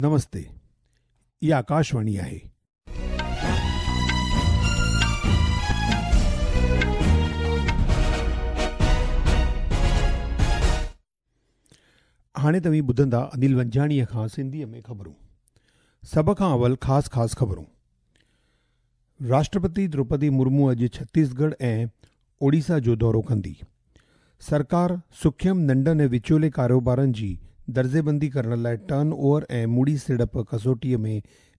نمستي اها آڪاشواڻي آهي. هاڻي توهين ٻڌندا انيل ونجهاڻيء کان سنڌيء ۾ خبرون. سڀ کان اول خاص خاص خبرون. راشٽرپتي دروپدي مرمو اڄ ڇتيسڳڙهه ۽ اوڙيسا جو دورو ڪندي. سرڪار سکيم ننڍن ۽ وچولي ڪاروبارن جي درجيبندي ڪرڻ لاء ٽرن اوور ۽ موڙي سيڙپ ڪسوٽيء ۾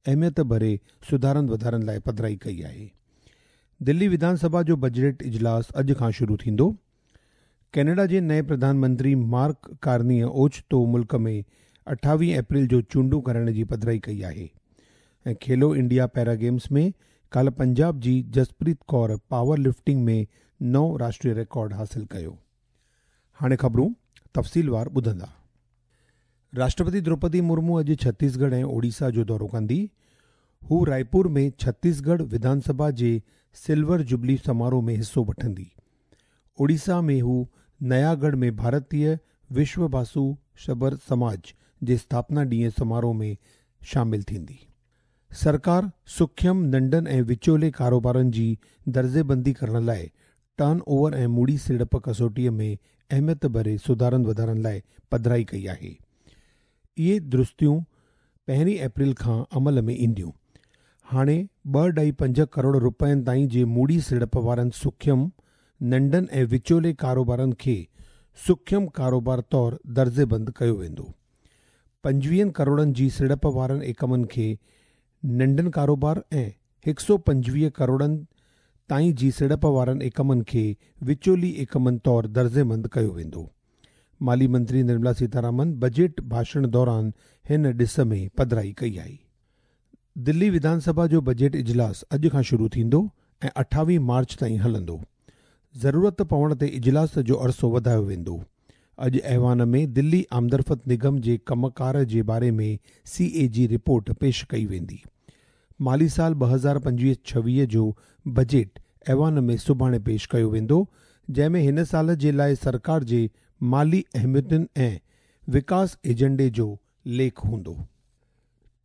اهميت ڀري سڌارن وڌارن لاء پڌرائي ڪئي آهي. دلي وڌان سڀا جو بجيٽ اجلاس اڄ کان شروع ٿيندو. ڪينيڊا جي نئين پرڌان منتري مارڪ ڪارنيء اوچتو ملڪ ۾ 28 اپريل جو چونڊون ڪرائڻ جي پڌرائي ڪئي آهي ۽ کيلو انڊيا پيرا گيمز ۾ ڪالهه پنجاب جي جسپريت ڪور پاور لفٽنگ ۾ نئون راشٽري رڪارڊ حاصل ڪيو. هاڻي خبرون تفصيلوار ٻڌندا. راشٽرپتي دروپدي مرمو اڄ ڇتيسڳڙهه ۽ اوڙيسا جو دورو ڪندي. هو رائپور ۾ ڇتيسڳڙهه وڌان سڀا جي سلور جوبلي سماروهه ۾ حصو وٺندي. اوڙيسا ۾ هو نياڳڙهه ۾ ڀارتيه وشوڀاسو شبر سماج جي اسٿاپنا ڏينهن سماروهه ۾ شامل ٿيندي. سرڪار سکيم ننڍن ۽ وچولي ڪاروبارن جي درجيبندي ڪرڻ لاء ٽرن اوور ۽ موڙي سيڙپ ڪسوٽيء ۾ اهميت ڀري سڌارن وڌارن لاء پڌرائي ڪئي آهي. اهي درستيون پهرين اپريل کان عمل ۾ اينديون. هاڻي 2.5 ڪروڙ رپين تائين جي موڙي سيڙپ وارن سکيم، ننڍن ۽ وچولي ڪاروبارن کي سکيم ڪاروبار طور درجيبند ڪيو ويندو. 25 ڪروڙن جي سيڙپ وارن ايڪمن کي ننڍن ڪاروبار ۽ 125 ڪروڙن تائين جي سيڙپ وارن ايڪمن کي وچولي ايڪمن طور درجيبند ڪيو ويندو. مالي منتري نرملا سيتارامن بجيٽ ڀاشڻ دوران هن ڏس ۾ پڌرائي ڪئي آهي. دلي وڌان سڀا جو بجيٽ اجلاس اڄ کان شروع ٿيندو ۽ 28 مارچ تائين هلندو. ضرورت پوڻ تي اجلاس جو عرصو وڌايو ويندو. اڄ ايوان ۾ دلي آمدرفت نگم جي ڪم ڪار جي باري ۾ سي اي جي رپورٽ پيش ڪئي ويندي. مالي سال 2025-26 جو بجيٽ ايوان ۾ سڀاڻي پيش ڪيو ويندو، جنهن ۾ هن سال جي لاء سرڪار جي مالي اهميتن ۽ وڪاس ايجنڊي جو ليک هوندو.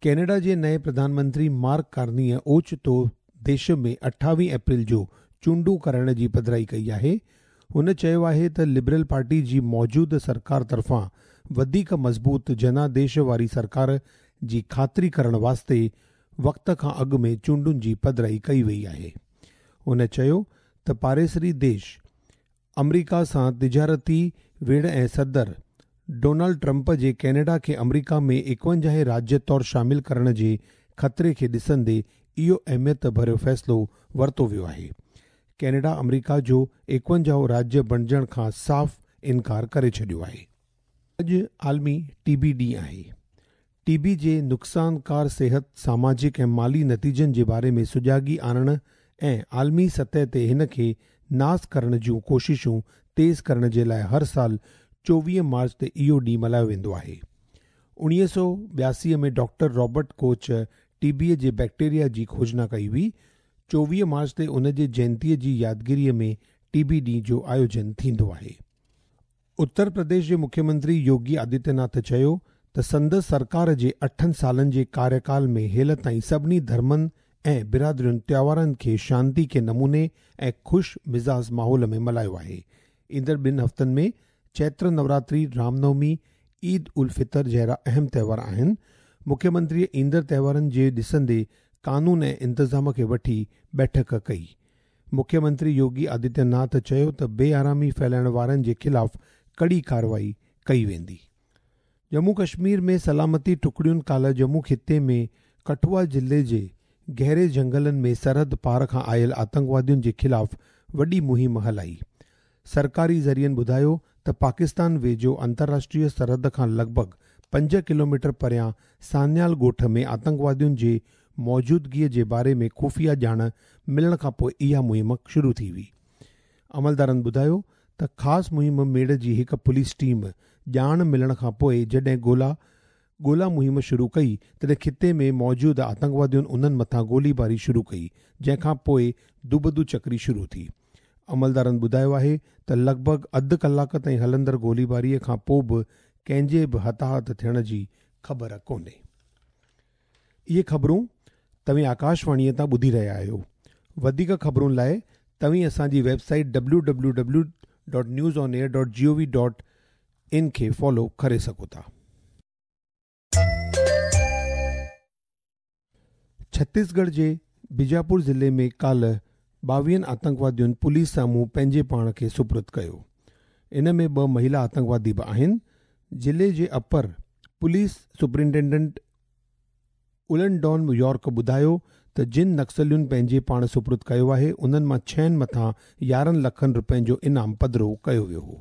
ڪينيڊا جي نئين پرڌان منتري مارڪ ڪارنيء اوچتو ديش ۾ 28 اپريل جو چونڊون ڪرائڻ جي پڌرائي ڪئي آهي. هن چيو آهي ته لبرل پارٽي جي موجوده سرڪار طرفان وڌيڪ مضبوط جناديش واري سرڪار جي خاطري ڪرڻ واسطي وقت کان اڳ ۾ چونڊن جي پڌرائي ڪئي وئي آهي. هن چيو ته پاڙيسري ديش آمريڪا سان تجارتي ويڙهه ۽ صدر ڊونلڊ ٽرمپ جي ڪينيڊا کي آمريڪا ۾ 51 راجيه طور شامل ڪرڻ جي خطري کي ڏسندي اهو اهميت ڀريو فيصلو ورتو ويو آهي. ڪينيڊا آمريڪا جو 51 راجيه بڻجڻ کان صاف انڪار ڪري ڇڏيو آهي. اڄ عالمي ٽي بي ڏينهن آهي. ٽي بي جي نقصانڪار صحت، ساماجڪ ۽ مالي نتيجن جي باري ۾ سجاڳي آڻڻ ۽ عالمي سطح تي هن کي ناس ڪرڻ جون ڪوششون تيز ڪرڻ جي لاء هر سال 24 مارچ تي اهو ڏينهن ملهايو ويندو آهي. 1982 ۾ ڊاڪٽر رابرٽ ڪوچ ٽي بي جي بيڪٽيريا جي کوجنا ڪئي هئي. 24 مارچ تي ان جي جينتيء جي يادگيريء ۾ ٽي بي ڏينهن جو آيوجن ٿيندو آهي. اتر پرديش جي مکيه منتري يوگي آدتيه ناٿ چيو ته سندس سرڪار جي اٺن سالن جي ڪاريڪال ۾ هيل تائين سڀني ڌرمن ۽ برادرين تيوهارن کي شانتي ڪي نموني ۽ خوش مزاج ماحول ۾ ملهايو آهي. ايندڙ ٻن هفتن ۾ چيتر نوراتري، رام نومي، عيد الفطر جهڙا اهم تهوار آهن. مکيه منتريء ايندڙ تهوارن جي ڏسندي قانون ۽ انتظام کي وٺي بيٺڪ ڪئي. مکيه منتري يوگي آدتيه ناٿ چيو ته بي آرامي ڦهلائڻ وارن جي خلاف ڪڙي ڪارروائي ڪئي ويندي. ڄمون ڪشمير ۾ سلامتي ٽڪڙين ڪالهه ڄمون خطي ۾ ڪٺوا ضلعي جي گهري جهنگلن ۾ سرحد پار کان آيل آتنڪوادين جي خلاف وڏي مهم هلائي. سرڪاري ذريعن ٻڌايو ته پاڪستان ويجهو انترراشٽريه سرحد کان لڳ ڀڳ 5 ڪلوميٽر پريان سانيال ڳوٺ ۾ آتنڪوادين جي موجودگيء جي باري ۾ خفيه ڄاڻ ملڻ کانپوء اها مهم شروع ٿي هئي. عملدارن ٻڌايو ته خاص مهم ميڙ جي هڪ پوليس ٽيم ڄاڻ ملڻ کانپوء جڏهن ڳولا ڳولا مهم شروع ڪئي تڏهن خطي ۾ موجود آتنڪوادين انهن مٿان گولي باري شروع ڪئي جنهن کان پوء دوبدو چڪري شروع ٿي. عملدارن ٻڌايو آهي ته لڳ ڀڳ اڌ ڪلاڪ تائين هلندڙ گوليباري کان پوء به ڪنهن جي به هتاهت ٿيڻ جي خبر ڪونهي. اهي خبرون توهين آڪاشواڻيء تان ٻڌي رهيا آهيو. وڌيڪ خبرن لاء توهين اسان جي web site www.newsonair.gov.in کي فالو ڪري سگهو ٿا. ڇتيسڳڙهه جي بيجاپور ضلعي ۾ ڪالهه 22 آتنڪوادين پوليس سامهون پنهنجي پاڻ کي سپرد ڪيو. ان ۾ ٻه مهيلا آتنڪوادي به آهن. ضلعي جي upper police superintendent Ulendon York ٻڌايو ته جن نڪسلين پنهنجي پاڻ سپرد ڪيو آهي انهن مان ڇهن مٿان 11 لکن رپين جو انعام پڌرو ڪيو ويو هو.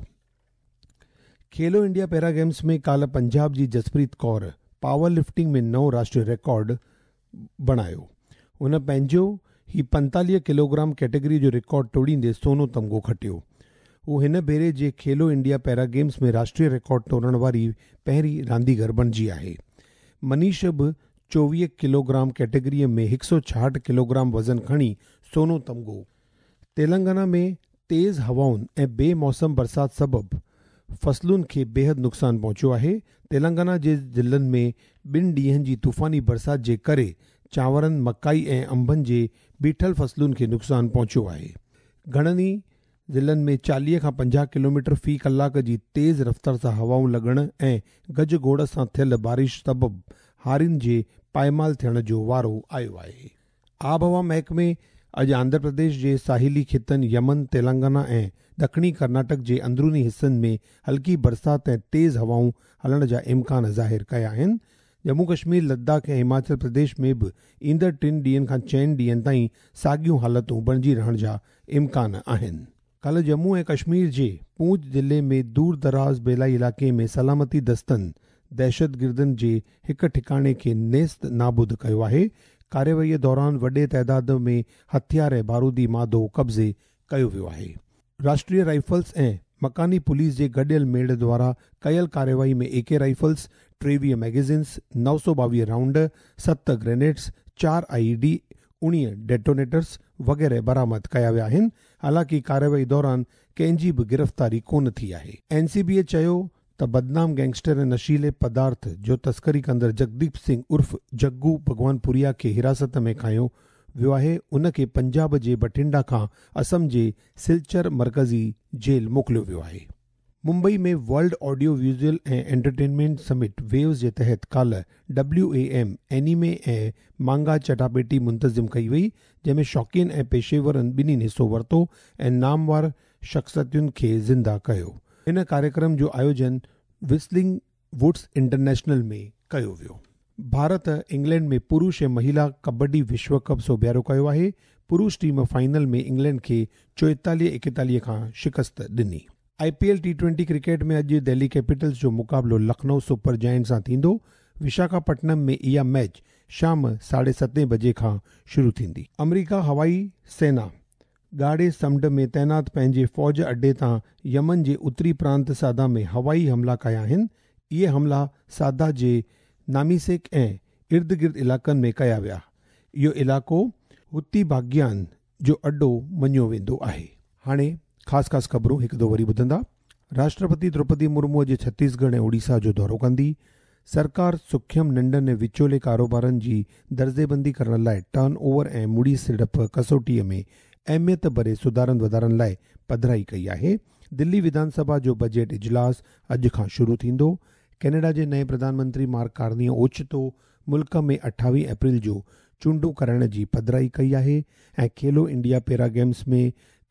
کيلو انڊيا پيرا گيمز ۾ ڪالهه پنجاب جي جسپريت ڪور پاور لفٽنگ ۾ نئون راشٽري رڪارڊ بڻايو. هن پنهنجو هي 45 ڪلوگرام ڪيٽيگري جو رڪارڊ ٽوڙيندي سونو تمغو کٽيو. هو هن ڀيري جي کيلو انڊيا پيرا گيمز ۾ راشٽري رڪارڊ ٽوڙڻ واري پهرين رانديگر بڻجي آهي. منيش به 24 ڪلوگرام ڪيٽيگريء ۾ 166 ڪلوگرام وزن کڻي سونو تمغو. تيلنگانا ۾ تيز هوائن ۽ بي موسم برسات سبب فصلن کي بيحد نقصان پهچيو آهي. تيلنگانا جي ضلعن ۾ ٻن ڏينهن جي طوفاني برسات جي ڪري چانورن، مڪائي ۽ انبن جي بيٺل فصلن کي نقصان پهچيو آهي. گهڻن ئي ضلعن ۾ 40 کان 50 ڪلوميٽر في ڪلاڪ جي تيز رفتار سان هوائون لڳڻ ۽ گجگوڙ سان ٿيل بارش سبب هارين جي پائمال ٿيڻ جو وارو آيو آهي. آبهوا محڪمي اڄ آنڌرا پرديش جي ساحلي خطن، يمن، تيلنگانا ۽ ڏکڻي ڪرناٽڪ جي اندروني حصن ۾ هلڪي برسات ۽ تيز هوائون هلڻ جا امڪان ظاهر ڪيا آهن. ڄمون ڪشمير، لداخ ۽ هماچل پرديش ۾ به ايندڙ ٽن ڏينهن کان چئن ڏينهن تائين ساڳيون حالتون بڻجي رهڻ جا امڪان آهن. ڪالهه ڄمون ۽ ڪشمير جي پونچ ضلعي ۾ دور دراز ٻيلائي علائقي ۾ سلامتي دستن دهشتگردن جي هڪ ٺڪاڻي کي نيست نابود ڪيو آهي. ڪارروائي دوران وڏي تعداد ۾ هٿيار ۽ بارودي مادو قبضي ڪيو ويو آهي. راشٽريه رائفلز ۽ مڪاني پوليس جي گڏيل ميڙ دوارا ڪيل ڪارروائي ۾ اي ڪي رائفلز، 23 ميگزينز، 922 رائونڊ، 7 گرينيڊز، 4 آء اي ڊي، 19 ڊيٽونيٽرز وغيره برآمد ڪيا ويا آهن. حالانڪه ڪارروائي دوران ڪنهن جي به گرفتاري ڪونه ٿي آهي. اين سي بي چيو ته بدنام گينگسٽر ۽ نشيلي پدارٿ جو تسڪري ڪندڙ جگديپ سنگهه عرف جگو ڀڳوانپوريا کي حراست ۾ کنيو ويو آهي، ان کي پنجاب جي بٺنڊا کان اسم جي سلچر مرڪزي جيل موڪليو ويو آهي. Mumbai ۾ world audio visual ۽ entertainment summit waves جي تحت ڪالهه ڊبليو اي ايم اينيمي ۽ مانگا چٽاڀيٽي منتظم ڪئي وئي، جنهن ۾ شوقين ۽ پيشيورن ٻنهي حصو ورتو ۽ نامور شخصيتن کي زنده ڪيو. هن ڪاريڪرم جو آيوجن وسلنگ ووڊس انٽرنيشنل ۾ ڪيو ويو. ڀارت انگلينڊ ۾ پرش ۽ مهيلا ڪبڊي وشو ڪپ سوڀيارو ڪيو آهي. پرش ٽيم فائنل ۾ انگلينڊ کي 44-41 کان شڪست ڏني. I P L T twenty cricket ۾ اڄ دهلي ڪيپيٽلز جو مقابلو لکنؤ سپر جائنٽس سان ٿيندو. وشاکاپٽنم ۾ اها ميچ شام 7:30 بجي کان شروع ٿيندي. آمريڪا هوائي سينا ڳاڙهي سمنڊ ۾ تعينات پنهنجي فوج اڏي تان يمن جي اتري پرانت صعده ۾ هوائي حملا ڪيا آهن. اهي حملا صعده جي ناميسڪ ۽ اردگرد علائقن ۾ ڪيا ويا. اهو علائقو حوثي باغين جو اڏو مڃيو ويندو آهي. هاڻي خاص خاص خبرون هڪ دفعو وري ٻڌندا. راشٽرپتي دروپدي مرمو اڄ ڇتيسڳڙهه ۽ اوڙيسا جو دورو ڪندي. سرڪار سکيم ننڍن ۽ وچولي ڪاروبارن جي درجيبندي ڪرڻ لاء ٽرن اوور ۽ مڙئي سيڙپ ڪسوٽيء ۾ اهميت ڀري سڌارن وڌارن لاء پڌرائي ڪئي آهي. دلي وڌان سڀا جو بجيٽ اجلاس اڄ کان شروع ٿيندو. ڪينيڊا جي نئين پرڌان منتري مارڪ ڪارنيء اوچتو ملڪ ۾ 28 اپريل جو چونڊون ڪرائڻ جي پڌرائي ڪئي آهي ۽ کيلو انڊيا پيرا گيمز ۾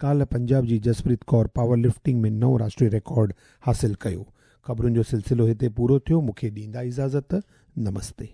ڪالهه پنجاب جي جسپريت ڪور پاور لفٽنگ ۾ نئون راشٽري رڪارڊ حاصل ڪيو. خبرن جو سلسلو هتي پورو ٿيو. مون کي ڏيندا اجازت. نمستي.